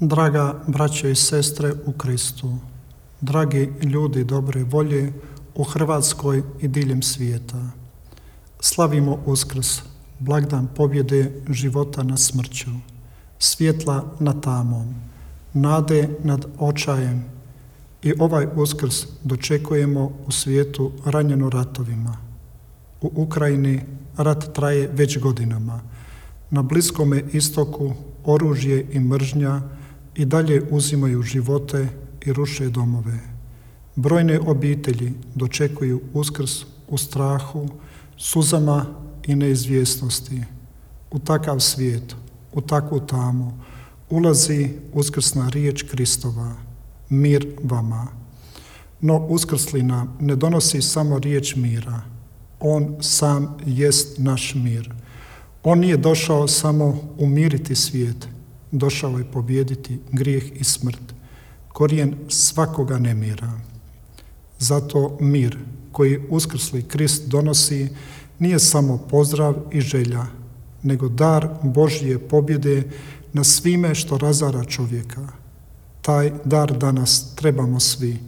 Draga braćo i sestre u Kristu, dragi ljudi dobre volje u Hrvatskoj i diljem svijeta, slavimo Uskrs, blagdan pobjede života nad smrću, svjetla nad tamom, nade nad očajem i ovaj Uskrs dočekujemo u svijetu ranjeno ratovima. U Ukrajini rat traje već godinama. Na Bliskome istoku oružje i mržnja i dalje uzimaju živote i ruše domove. Brojne obitelji dočekuju Uskrs u strahu, suzama i neizvjesnosti. U takav svijet, u takvu tamu, ulazi uskrsna riječ Kristova, mir vama. No uskrslina ne donosi samo riječ mira. On sam jest naš mir. On nije došao samo umiriti svijet, došao je pobijediti grijeh i smrt, korijen svakoga nemira. Zato mir koji uskrsli Krist donosi nije samo pozdrav i želja, nego dar Božje pobjede na svime što razara čovjeka. Taj dar danas trebamo svi,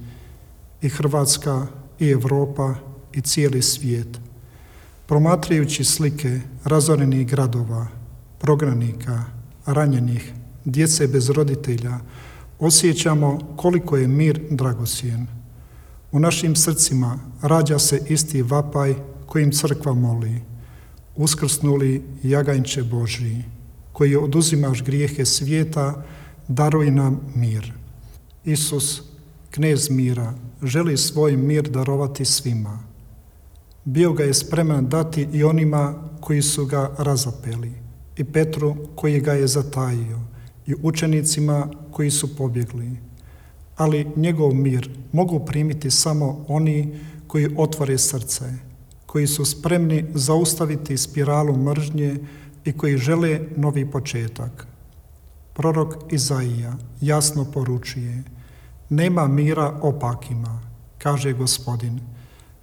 i Hrvatska, i Europa, i cijeli svijet. Promatrajući slike razorenih gradova, prognanika, ranjenih, djece bez roditelja, osjećamo koliko je mir dragocjen. U našim srcima rađa se isti vapaj kojim crkva moli: uskrsnuli jaganjče Božji, koji oduzimaš grijehe svijeta, daruj nam mir. Isus, knez mira, želi svoj mir darovati svima. Bio ga je spreman dati i onima koji su ga razapeli, i Petru koji ga je zatajio, i učenicima koji su pobjegli. Ali njegov mir mogu primiti samo oni koji otvore srce, koji su spremni zaustaviti spiralu mržnje i koji žele novi početak. Prorok Izaija jasno poručuje: nema mira opakima, kaže Gospodin,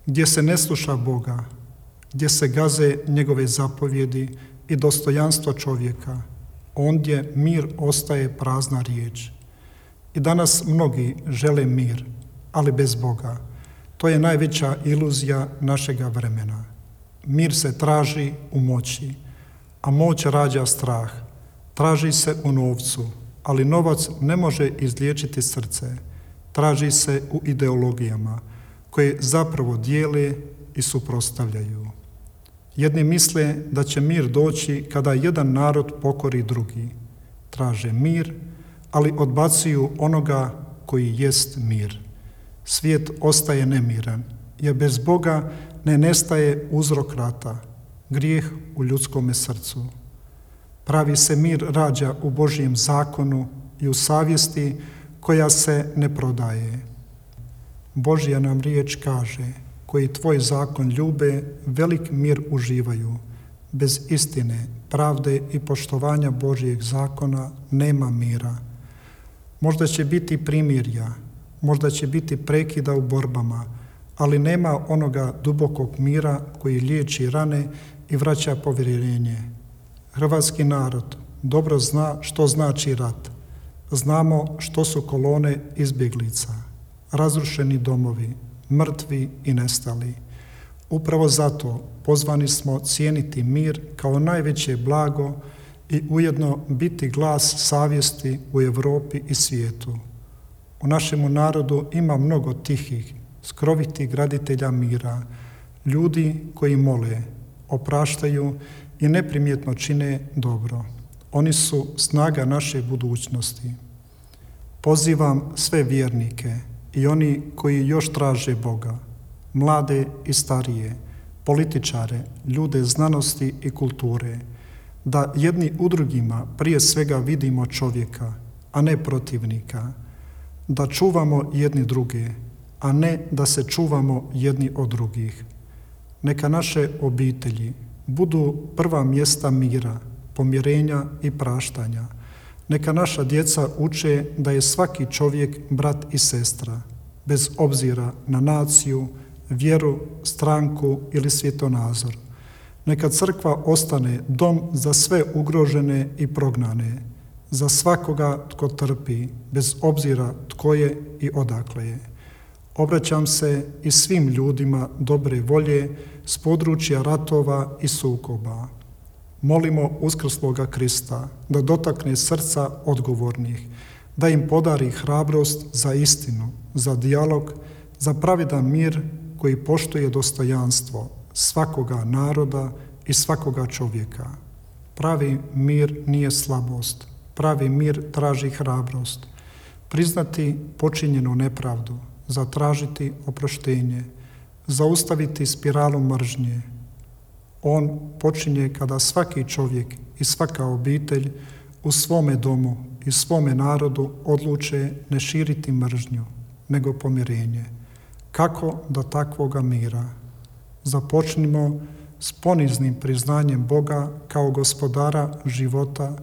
gdje se ne sluša Boga, gdje se gaze njegove zapovjedi i dostojanstvo čovjeka, ondje mir ostaje prazna riječ. I danas mnogi žele mir, ali bez Boga. To je najveća iluzija našega vremena. Mir se traži u moći, a moć rađa strah. Traži se u novcu, ali novac ne može izliječiti srce. Traži se u ideologijama koje zapravo dijele i suprotstavljaju. Jedni misle da će mir doći kada jedan narod pokori drugi. Traže mir, ali odbacuju onoga koji jest mir. Svijet ostaje nemiran, jer bez Boga ne nestaje uzrok rata, grijeh u ljudskome srcu. Pravi se mir rađa u Božjem zakonu i u savjesti koja se ne prodaje. Božja nam riječ kaže: koji tvoj zakon ljube, velik mir uživaju. Bez istine, pravde i poštovanja Božjeg zakona nema mira. Možda će biti primirja, možda će biti prekida u borbama, ali nema onoga dubokog mira koji liječi rane i vraća povjerenje. Hrvatski narod dobro zna što znači rat. Znamo što su kolone izbjeglica, razrušeni domovi, mrtvi i nestali. Upravo zato pozvani smo cijeniti mir kao najveće blago i ujedno biti glas savjesti u Europi i svijetu. U našemu narodu ima mnogo tihih, skrovitih graditelja mira, ljudi koji mole, opraštaju i neprimjetno čine dobro. Oni su snaga naše budućnosti. Pozivam sve vjernike i oni koji još traže Boga, mlade i starije, političare, ljude znanosti i kulture, da jedni u drugima prije svega vidimo čovjeka, a ne protivnika, da čuvamo jedni druge, a ne da se čuvamo jedni od drugih. Neka naše obitelji budu prva mjesta mira, pomirenja i praštanja. Neka naša djeca uče da je svaki čovjek brat i sestra, bez obzira na naciju, vjeru, stranku ili svjetonazor. Neka crkva ostane dom za sve ugrožene i prognane, za svakoga tko trpi, bez obzira tko je i odakle je. Obraćam se i svim ljudima dobre volje s područja ratova i sukoba. Molimo uskrsloga Krista da dotakne srca odgovornih, da im podari hrabrost za istinu, za dijalog, za pravedan mir koji poštuje dostojanstvo svakoga naroda i svakoga čovjeka. Pravi mir nije slabost, pravi mir traži hrabrost. Priznati počinjenu nepravdu, zatražiti oproštenje, zaustaviti spiralu mržnje. On počinje kada svaki čovjek i svaka obitelj u svome domu i svome narodu odluče ne širiti mržnju, nego pomirenje. Kako do takvoga mira? Započnimo s poniznim priznanjem Boga kao gospodara života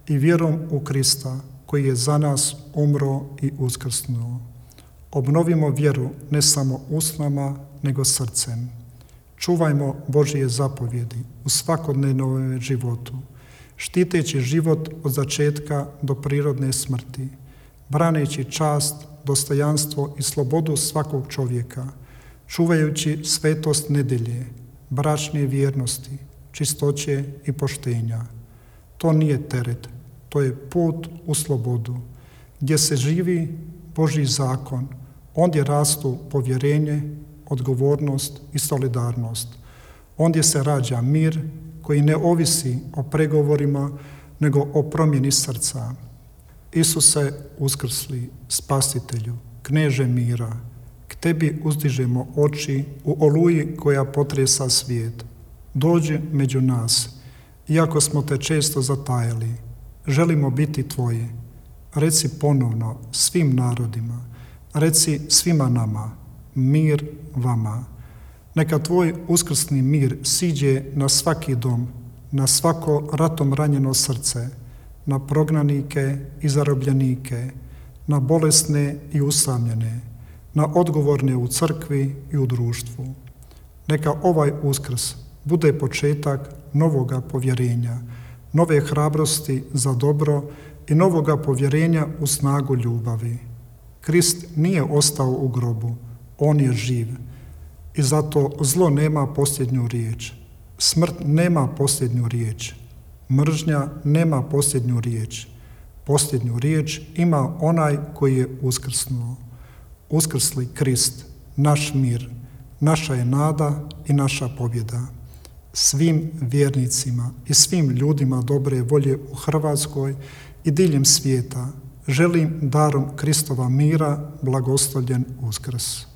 i vjerom u Krista koji je za nas umro i uskrsnuo. Obnovimo vjeru ne samo usnama, nego srcem. Čuvajmo Božje zapovjedi u svakodnevnom životu, štiteći život od začetka do prirodne smrti, braneći čast, dostojanstvo i slobodu svakog čovjeka, čuvajući svetost nedjelje, bračne vjernosti, čistoće i poštenja. To nije teret, to je put u slobodu, gdje se živi Božji zakon, ondje rastu povjerenje, odgovornost i solidarnost. Ondje se rađa mir koji ne ovisi o pregovorima, nego o promjeni srca. Isuse uskrsli, Spasitelju, Kneže mira, k tebi uzdižemo oči u oluji koja potresa svijet. Dođi među nas, iako smo te često zatajali. Želimo biti tvoji. Reci ponovno svim narodima, reci svima nama, mir vama. Neka tvoj uskrsni mir siđe na svaki dom, na svako ratom ranjeno srce, na prognanike i zarobljenike, na bolesne i usamljene, na odgovorne u crkvi i u društvu. Neka ovaj Uskrs bude početak novoga povjerenja, nove hrabrosti za dobro i novoga povjerenja u snagu ljubavi. Krist nije ostao u grobu, on je živ i zato zlo nema posljednju riječ. Smrt nema posljednju riječ. Mržnja nema posljednju riječ. Posljednju riječ ima onaj koji je uskrsnuo. Uskrsli Krist, naš mir, naša je nada i naša pobjeda. Svim vjernicima i svim ljudima dobre volje u Hrvatskoj i diljem svijeta želim darom Kristova mira blagoslovljen Uskrs.